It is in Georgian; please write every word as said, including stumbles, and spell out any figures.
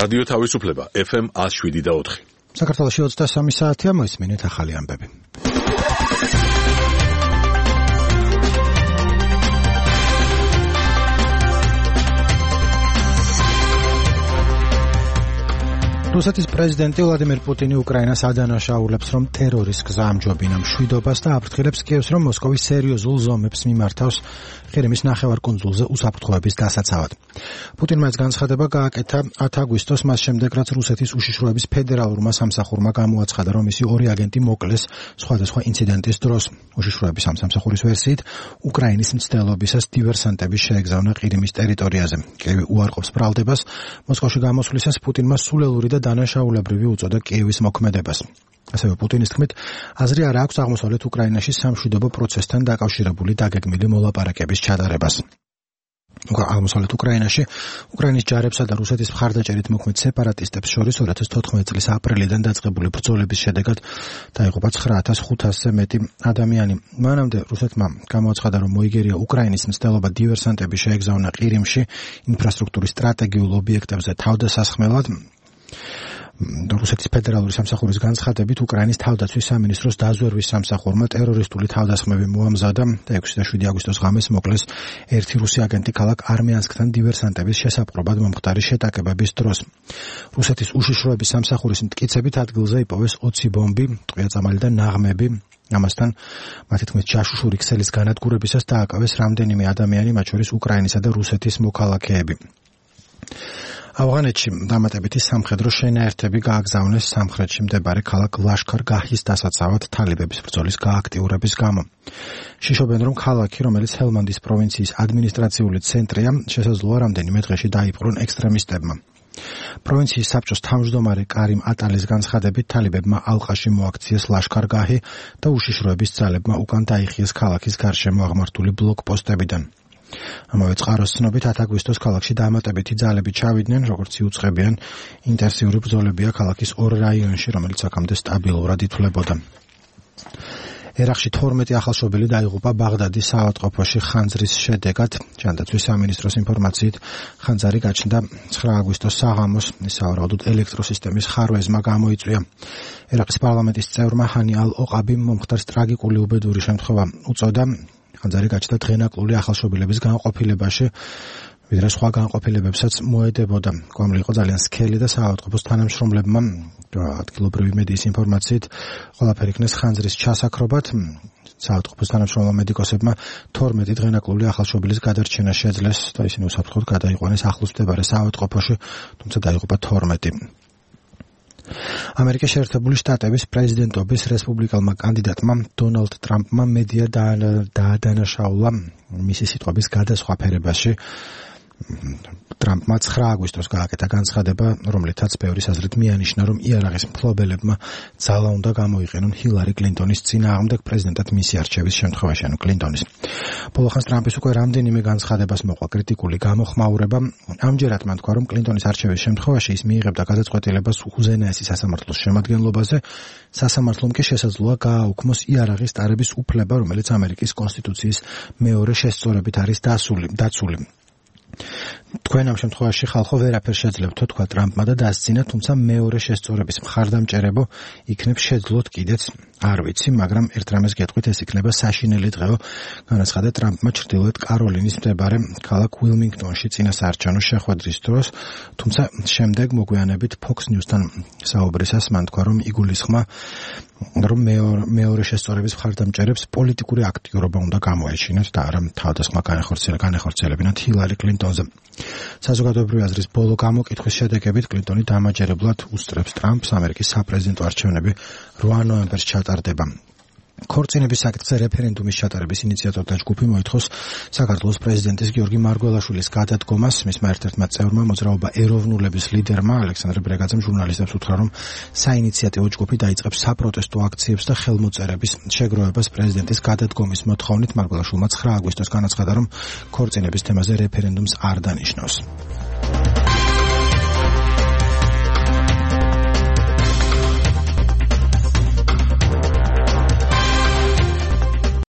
რადიო თავისუფლება ეფ ემ one oh seven point four. საქართველოში ოცდასამი საათია, მოისმინეთ ახალი ამბები. რუსეთის პრეზიდენტი ვლადიმერ პუტინი უკრაინას ადანაშაულებს, რომ ტერორიზმს ამჯობინა მშვიდობას და აფრთხილებს კიევს, რომ მოსკოვი სერიოზულ ზომებს მიმართავს ყირიმის ნახევარკუნძულზე უსაფრთხოების დასაცავად. პუტინმა ეს განცხადება გააკეთა ათ აგვისტოს, მას შემდეგ, რაც რუსეთის უშიშროების ფედერალურმა სამსახურმა გამოაცხადა, რომ მისი ორი აგენტი მოკლეს სხვადასხვა ინციდენტის დროს. უშიშროების ამ სამსახურის ვერსიით, უკრაინის მცდელობისას დივერსანტები შეეგზავნა ყირიმის ტერიტორიაზე. კიევი უარყოფს ბრალდებას, მოსკოვში გამოსვლისას პუტინმა სულელური და დანაშაულებრივი უწოდა კიევის მოქმედებას. ასევე პუტინის თქმით, აზრი არ აქვს აღმოსავლეთ უკრაინაში სამშვიდობო პროცესთან დაკავშირებული დაგეგმილი მოლაპარაკების ჩატარებას. აღმოსავლეთ უკრაინაში უკრაინის ჯარებსა და რუსეთის მხარდაჭერით მოქმედ სეპარატისტებს შორის two thousand fourteen წლის აპრილიდან დაწყებული ბრძოლების შედეგად დაიღუპა nine thousand five hundred-ზე მეტი ადამიანი. მანამდე რუსეთმა გამოაცხადა, რომ მოიგერია უკრაინის მცდელობა დივერსანტები შეეგზავნა ყირიმში ინფრასტრუქტურის სტრატეგიულ ობიექტებზე თავდასასხმელად. რუსეთის ფედერალური სამსახურის განცხადებით, უკრაინის თავდაცვის სამინისტროს დაზვერვის სამსახურმა ტერორისტული თავდასხმები მოამზადა და six და seven აგვისტოს ღამეს მოკლეს ერთი რუსი აგენტი ქალაქ არმიანსკთან დივერსანტების შესაპყრობად მომხდარი შეტაკებების დროს. რუსეთის უშიშროების სამსახურის მტკიცებით ადგილზე იპოვეს twenty ბომბი, ტყვია-წამალი და ნაღმები. ამასთან, მათი თქმით, ჯაშუშური ქსელის განადგურებისას დააკავეს რამდენიმე ადამიანი, მათ შორის უკრაინისა და რუსეთის მოქალაქეები. ავღანეთში დამატებითი სამხედრო შენაერთები გააგზავნეს სამხრეთში მდებარე ქალაქ ლაშქარ-გაჰის დასაცავად თალიბების ბრძოლის გააქტიურების გამო. შიშობენ, რომ ქალაქი, რომელიც ჰელმანდის პროვინციის ადმინისტრაციული ცენტრია, შესაძლოა რამდენიმე დღეში დაიპყრონ ექსტრემისტებმა. პროვინციის საბჭოს თავმჯდომარე კარიმ ატალის განცხადებით, თალიბებმა ალყაში მოაქციეს ლაშქარ-გაჰი და უშიშროების ძალებმა უკან დაიხიეს ქალაქის გარშემო აღმართული ბლოკპოსტებიდან. ამავე წყაროს ცნობით, ათ აგვისტოს ქალაქში დამატებითი ძალები ჩავიდნენ, როგორც იუწყებიან, ინტენსიური ბრძოლებია ქალაქის ორ რაიონში, რომელიც აქამდე სტაბილურად ითვლებოდა. ერაყში twelve ახალშობილი დაიღუპა ბაღდადის საავადმყოფოში ხანძრის შედეგად. ჯანდაცვის სამინისტროს ინფორმაციით, ხანძარი გაჩნდა nine აგვისტოს საღამოს, სავარაუდოდ ელექტროსისტემის ხარვეზმა გამოიწვია. ერაყის პარლამენტის წევრმა ჰანი ალ-ოყაბიმ მომხდარს ტრაგიკული უბედური შემთხვევა უწოდა. ხანძარი გაჩნდა დღენაკლული ახალშობილების განყოფილებაში, ვიდრე სხვა განყოფილებებსაც მოედებოდა. გვამლი იყო ძალიან სქელი და საავადმყოფოს თანამშრომლებმა, ადგილობრივი მედიის ინფორმაციით, ყველაფერი იქნეს ხანძრის ჩასაქრობად. საავადმყოფოს თანამშრომლმა მედიკოსებმა twelve დღენაკლული ახალშობილის გადარჩენა შეძლეს და ისინი უსაფრთხოდ გადაიყვანეს ახლოს მდებარე საავადმყოფოში, თუმცა დაიღუპა twelve. ამერიკის შეერთებული შტატების პრეზიდენტობის რესპუბლიკელმა კანდიდატმა დონალდ ტრამპმა მედია დაადანაშაულა მისი სიტყვების გადასხვაფერებაში. ტრამპმა nine აგვისტოს გააკეთა განცხადება, რომლითაც ბევრის აზრით მიანიშნა, რომ იარაღის მფლობელებმა ძალა უნდა გამოიყენონ ჰილარი კლინტონის წინააღმდეგ პრეზიდენტად მისი არჩევის შემთხვევაში, ანუ კლინტონის. ბოლოხანს ტრამპის უკვე რამდენიმე განცხადებას მოყვა კრიტიკული გამოხმაურება. ამჯერად მან თქვა, რომ კლინტონის არჩევის შემთხვევაში ის მიიღებდა გადაწყვეტილებას უზენაესი სასამართლოს შემადგენლობაზე, სასამართლომ კი შესაძლოა გააუქმოს იარაღის ტარების უფლება, რომელიც ამერიკის კონსტიტუციის მეორე შესწორებით არის დაცული. თქვენ ამ შემთხვევაში ხალხო ვერაფერს შეძლებთ, თქვა ტრამპმა და დასცინა, თუმცა მეორე შესწორების მხარდამჭერებო იქნებ შეძლოთ კიდეც არ ვიცი, მაგრამ ერთ რამეს გეტყვით, ეს იქნება საშინელი დღეო, განაცხადა ტრამპმა ჩრდილოეთ კაროლინის მდებარე ქალაქ უილმინგტონში წინასაარჩევნო შეხვედრის დროს, თუმცა შემდეგ მოგვიანებით Fox News-თან საუბრისას მან თქვა, რომ იგულისხმა, რომ მეორე შესწორების მხარდამჭერებს პოლიტიკური აქტიურობა უნდა გამოეჩინათ და არა თავდასხმა განეხორციელებინათ ჰილარი კლინტონზე. საზოგადოებრივი აზრის ბოლო გამოკითხვის შედეგებით კლინტონი დამაჯერებლად უსწრებს ტრამპს, ამერიკის საპრეზიდენტო არჩევნები eighth ნოემბერს ჩატარდება. ქორწინების საკითხზე რეფერენდუმის ჩატარების ინიციატორთა ჯგუფი მოითხოვს საქართველოს პრეზიდენტის გიორგი მარგველაშვილის გადადგომას. მისმა ერთ-ერთმა წევრმა მოძრაობა ეროვნულების ლიდერმა ალექსანდრე ბრეგაძემ ჟურნალისტებს უთხრა, რომ საინიციატივო ჯგუფი დაიწყებს საპროტესტო აქციებს და ხელმოწერების შეგროვებას პრეზიდენტის გადადგომის მოთხოვნით. მარგველაშვილმა nine აგვისტოს განაცხადა, რომ ქორწინების თემაზე რეფერენდუმს არ დანიშნავს.